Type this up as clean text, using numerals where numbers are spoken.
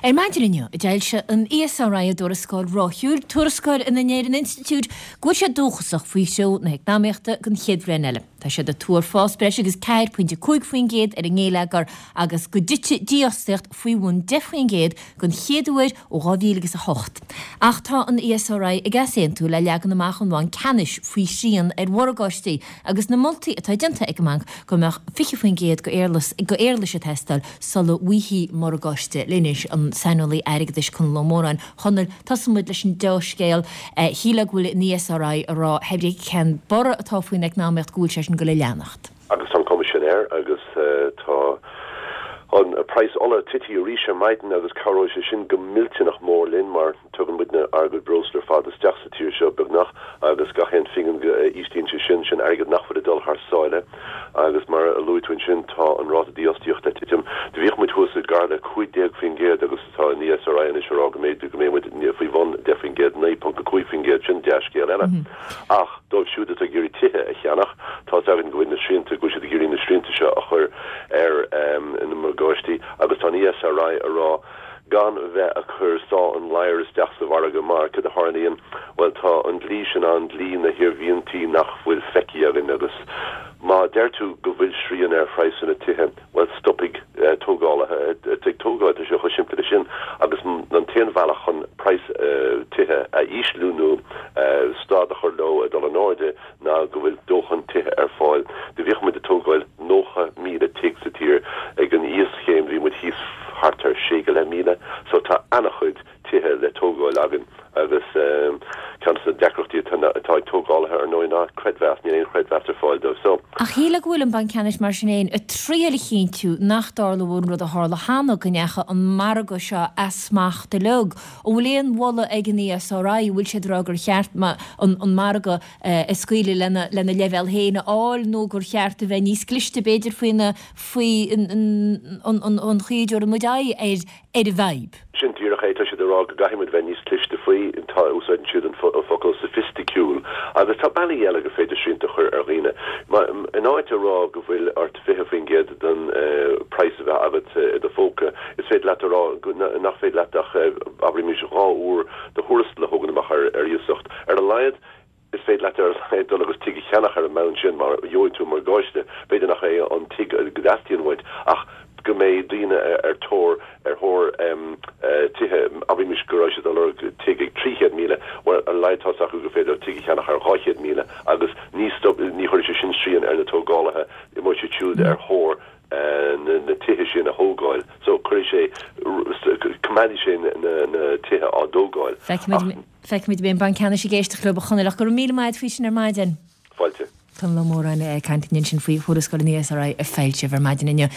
Ar maidin inniu, d'fhoilsigh an ESRI a dtuarascáil ráithiúil, tuarascáil ina ndeir an institiúid go bhfuil siad dóchasach faoi threo na heacnamaíochta don chéad bhliain eile. Tá siad ag tuar fás breis agus 4.5% ar an ngeilleagar agus go dtitfidh dífhostaíocht faoi bhun 10% den chéad uair ó 2008. Ach tá an ESRI ag easaontú le leagan amach an Bhainc Ceannais faoi shrian ar mhorgáistí agus na moltaí atá déanta ag an mbanc go mbeadh 20% de éarlais ag teastáil sula bhfaighfí morgáiste. Linn anois an saineolaí airgeadais Conall Ó Móráin. Chonaill, tosóidh muid leis an deá-scéal. Shílfeá go bhfuil an ESRI ag rá pé ar bith cén borradh atá faoin eacnamaíocht go bhfuil sé sin ag dul a leanacht. Agus tá an cuma sin air agus tá an praghas ola tití arís ar maidin agus cabhróidh sé sin go millteanach mór linn mar Tugann muidne ár gcuid breosla ar fad isteach sa tír seo, beagnach, agus gach aon phingin go íslíonn sé sin, sin airgead nach bhfuil ag dul thar sáile. Agus mar a luaigh tú ansin, tá an ráta dífhostaíochta ag titim. Do bhíodh muid thuas i gar le 15% agus tá an ESRI anois ag rá go mbeidh, go mbeidh muid faoi bhun 10%, 9.5%, sin dea-scéal eile. Ach dóibh siúd atá ag iarraidh tithe a cheannach, tá's againn go bhfuil na srianta, go bhfuil siad ag iarraidh na srianta seo a chur ar na morgáistí agus tá an ESRI ag rá, gan bheith ag cur sá an ladhair isteach sa mhargadh mar, cad a tharlaíonn? Bhuel, tá an dlí sin ann, dlí na hiarmhíntí nach bhfuil feicthe againn agus má deir tú go bhfuil srian ar phraghsanna tithe, bhuel, stopfaidh tógálaithe ag tógáil, tá sé chomh simplí leis sin agus an t-aon bhealach chun praghas tithe a ísliú nó stad a chur leo ag dul in airde ná go bhfuil dóthain tithe ar fáil. Do bhíodh muid ag tógáil 90,000 tigh sa tír. Ag an íoschéim bhí muid thíos thart ar sé go leith míle. So tá ana-chuid tithe le tógáil againn agus ceann de na deacrachtaí atá ag tógálaithe ar ndóigh ná creidmheas, níl aon chreidmheas ar fáil dóibh. So. Ach shílfeá go bhfuil an Banc Ceannais mar sin fhéin ag triail a chinntiú nach dtarlódh an rud a tharla cheana, go ndeachaigh an margadh seo as smacht uilig. An bhfuil aon mholadh ag an ESRI, an bhfuil siad ag rá gur cheart an margadh a scaoileadh lena lena leibhéal féin a fháil nó gur cheart a bheith níos cliste b'fhéidir faoina faoi an chaoi a dtabharann muid aghaidh ar ar an bhfadhb? Sin díreach é, tá siad ag rá go gcaithfidh muid bheith níos cliste faoi, tá, úsáideann siad an focal soifisticiúil agus tá bealaí eile gur féidir srianta a chur ar dhaoine. In áit a rá go bhfuil ort 20% den praghas a bheith agat i do phóca, is féidir leat a rá nach féidir leat ach, abraimis, 2 uair do thuarastal a thógaint amach ar iasacht. Ar a laghad, is féidir leat ar a laghad dul agus tigh a cheannach ar an mbonn sin mar gheobhaidh tú morgáiste. B'fhéidir nach é an tigh go dteastaíonn uait ach go mbeidh daoine ar tóir ar thóir tithe, abraimis go raibh siad ag lorg tigh ag 300,000, bhuel ar a laghad tá's acu gur féidir leo tigh a cheannach ar 200,000 agus ní stop, ní chuirfidh sé sin srian ar na tógálaithe, imeoidh siad siúd ar thóir na tithe sin a thógáil. So cuirfidh sé, coimeádfaidh sé na tithe á dtógáil. Feicfimid, feicfimid an mbeidh an Banc Ceannais ag éisteacht leo, a Chonaill, ach go raibh míle maith agat faoi sin ar maidin. Fáilte. Conall Ó Móráin ag caint linn ansin faoi thuarascáil an ESRI a foilsíodh ar maidin inniu.